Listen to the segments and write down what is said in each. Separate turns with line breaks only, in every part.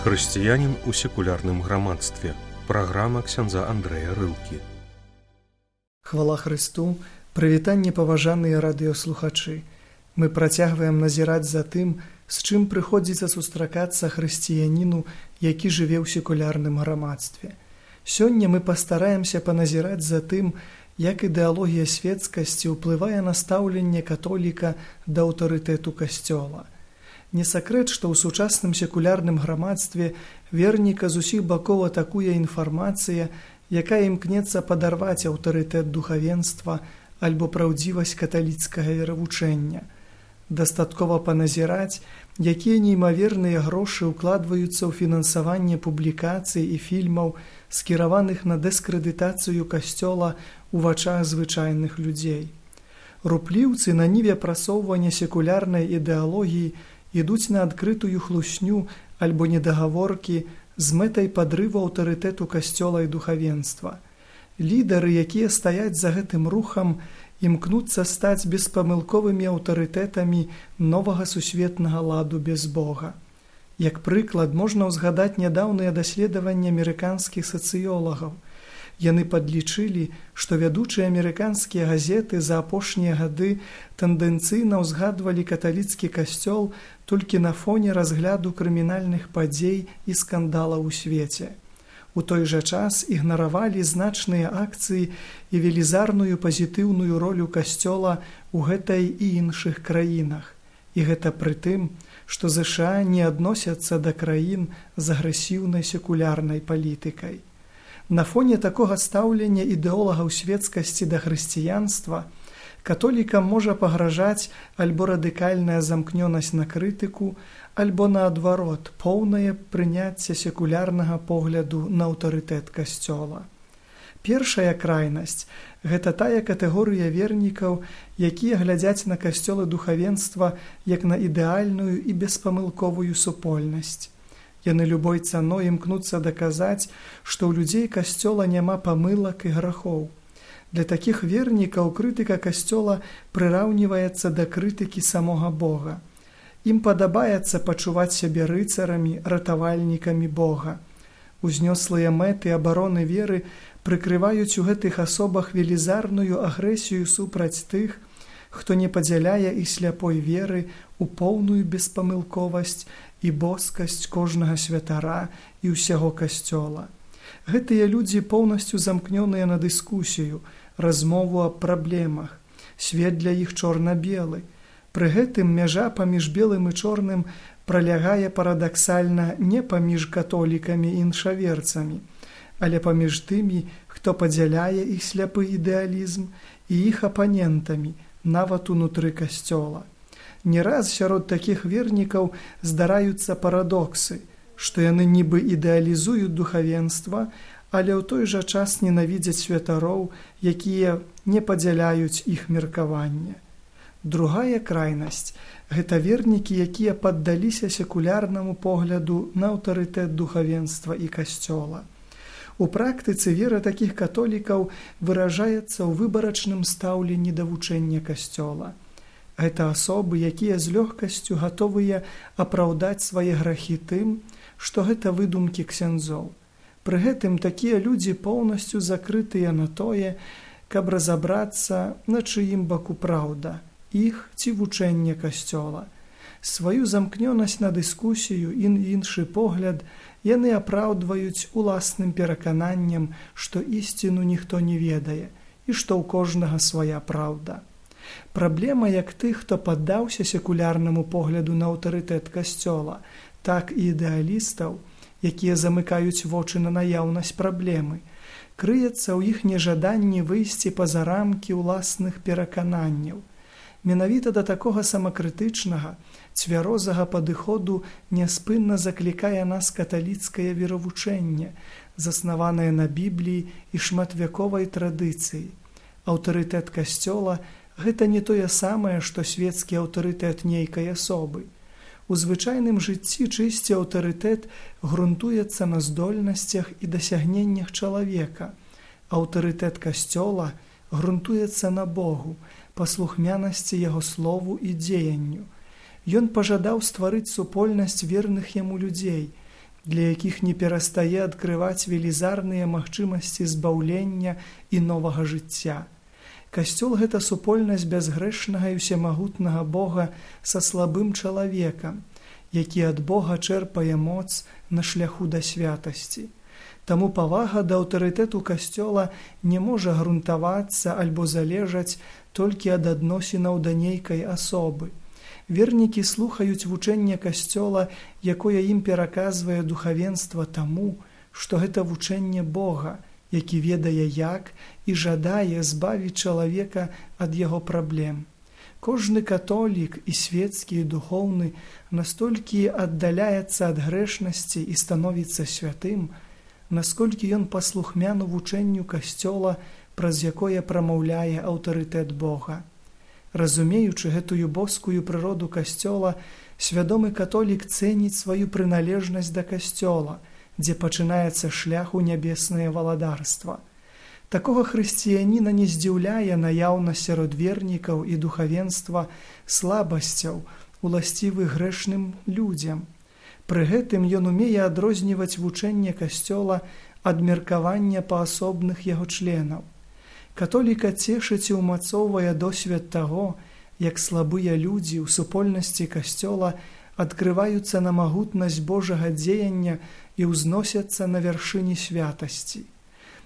Хрысціянін у секулярным грамадстве. Праграма ксяндза Андрэя Рылкі.
Хвала Хрысту, прывітанне паважаныя радыёслухачы. Мы працягваем назіраць за тым, з чым прыходзіцца сустракацца хрысціяніну, які жыве ў секулярным грамадстве. Сёння мы пастараемся паназіраць за тым, як ідэалогія свецкасці ўплывае на стаўленне католіка да аўтарытэту касцёла. Не сакрэт, што ў сучасным секулярным грамадстве верніка з усіх бакоў атакуе інфармацыя, якая імкнецца падарваць аўтарытэт духавенства альбо праўдзівасць каталіцкага веравучэння. Дастаткова паназіраць, якія неймаверныя грошы ўкладваюцца ў фінансаванне публікацый і фільмаў, скіраваных на дыскрэдытацыю касцёла ў вачах звычайных людзей. Рупліўцы на ніве прасоўвання секулярнай ідэалогіі ідуць на адкрытую хлусню альбо недагаворкі з мэтай падрыву аўтарытэту касцёла і духавенства. Лідары, якія стаяць за гэтым рухам, імкнуцца стаць беспамылковымі аўтарытэтамі новага сусветнага ладу без Бога. Як прыклад, можна ўзгадаць нядаўныя даследаванні амерыканскіх сацыёлагаў. Яны падлічылі, што вядучыя амерыканскія газеты за апошнія гады тэндэнцыйна ўзгадвалі каталіцкі касцёл толькі на фоне разгляду крымінальных падзей і скандалаў у свеце. У той жа час ігнаравалі значныя акцыі і велізарную пазітыўную ролю касцёла ў гэтай і іншых краінах. І гэта пры тым, што ЗША не адносяцца да краін з агрэсіўнай секулярнай палітыкай. На фоне такога стаўлення ідэолагаў свецкасці да хрысціянства католікам можа пагражаць альбо радыкальная замкнёнасць на крытыку, альбо наадварот, поўнае прыняцце секулярнага погляду на аўтарытэт касцёла. Першая крайнасць – гэта тая катэгорыя вернікаў, якія глядзяць на касцёл і духавенства як на ідэальную і беспамылковую супольнасць. Яны любой цаной імкнуцца даказаць, што ў людзей касцёла няма памылак і грахоў. Для такіх вернікаў крытыка касцёла прыраўніваецца да крытыкі самога Бога. Ім падабаецца пачуваць сябе рыцарамі, ратавальнікамі Бога. Узнёслыя мэты абароны веры прыкрываюць у гэтых асобах велізарную агрэсію супраць тых, хто не падзяляе і сляпой веры ў поўную беспамылковасць і боскасць кожнага святара і ўсяго касцёла. Гэтыя людзі поўнасцю замкнёныя на дыскусію, размову аб праблемах. Свет для іх чорна-белы. Пры гэтым мяжа паміж белым і чорным пралягае парадаксальна не паміж католікамі і іншаверцамі, але паміж тымі, хто падзяляе іх сляпы ідэалізм, і іх апанентамі, нават унутры касцёла. Не раз сярод такіх вернікаў здараюцца парадоксы, што яны нібы ідэалізуюць духавенства, але ў той жа час ненавідзяць святароў, якія не падзяляюць іх меркаванне. Другая крайнасць – гэта вернікі, якія паддаліся секулярнаму погляду на аўтарытэт духавенства і касцёла. У практыцы вера такіх католікаў выражаецца ў выбарачным стаўленні да вучэння касцёла. Гэта асобы, якія з лёгкасцю гатовыя апраўдаць свае грахі тым, што гэта выдумкі ксяндзоў. Пры гэтым такія людзі поўнасцю закрытыя на тое, каб разабрацца, на чыім баку праўда, іх ці вучэнне касцёла. Сваю замкнёнасць на дыскусію і іншы погляд яны апраўдваюць уласным перакананнем, што ісціну ніхто не ведае і што ў кожнага свая праўда. Праблема як тых, хто паддаўся секулярнаму погляду на аўтарытэт касцёла, так і ідэалістаў, якія замыкаюць вочы на наяўнасць праблемы, крыецца ў іх нежаданні выйсці па-за рамкі ўласных перакананняў. Менавіта да такога самакрытычнага, цвярозага падыходу няспынна заклікае нас каталіцкае веравучэнне, заснаванае на Бібліі і шматвяковай традыцыі. Аўтарытэт касцёла – гэта не тое самае, што свецкі аўтарытэт нейкай асобы. У звычайным жыцці чысці аўтарытэт грунтуецца на здольнасцях і дасягненнях чалавека. Аўтарытэт касцёла грунтуецца на Богу, паслухмянасці яго слову і дзеянню. Ён пажадаў стварыць супольнасць верных яму людзей, для якіх не перастае адкрываць велізарныя магчымасці збаўлення і новага жыцця. Касцёл – гэта супольнасць бязгрэшнага і ўсемагутнага Бога са слабым чалавекам, які ад Бога чэрпае моц на шляху да святасці. Таму павага да аўтарытэту касцёла не можа грунтавацца альбо залежаць толькі ад адносінаў да нейкай асобы. Вернікі слухаюць вучэнне касцёла, якое ім пераказвае духавенства таму, што гэта вучэнне Бога, які ведае як і жадае збавіць чалавека ад яго праблем. Кожны католік і свецкі, і духоўны настолькі аддаляецца ад грэшнасці і становіцца святым, насколькі ён паслухмяны вучэнню касцёла, праз якое прамаўляе аўтарытэт Бога. Разумеючы гэтую боскую прыроду касцёла, свядомы католік цэніць сваю прыналежнасць да касцёла, дзе пачынаецца шлях у нябеснае валадарства. Такога хрысціяніна не здзіўляе наяўнасць сярод вернікаў і духавенства слабасцяў, уласцівых грэшным людзям. Пры гэтым ён умее адрозніваць вучэнне касцёла ад меркавання паасобных яго членаў. Католіка цешыць і ўмацоўвае досвед таго, як слабыя людзі ў супольнасці касцёла адкрываюцца на магутнасць Божага дзеяння і ўзносяцца на вяршыні святасці.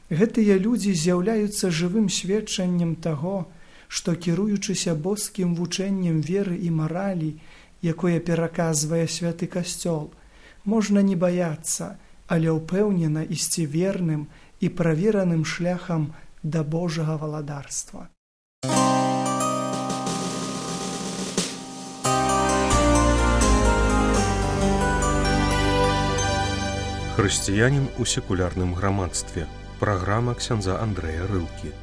Гэтыя людзі з'яўляюцца жывым сведчаннем таго, што, кіруючыся боскім вучэннем веры і маралі, якое пераказвае святы касцёл, можна не баяцца, але ўпэўнена ісці верным і правераным шляхам да Божага валадарства.
Хрысціянін у секулярным грамадстве. Праграма ксяндза Андрэя Рылкі.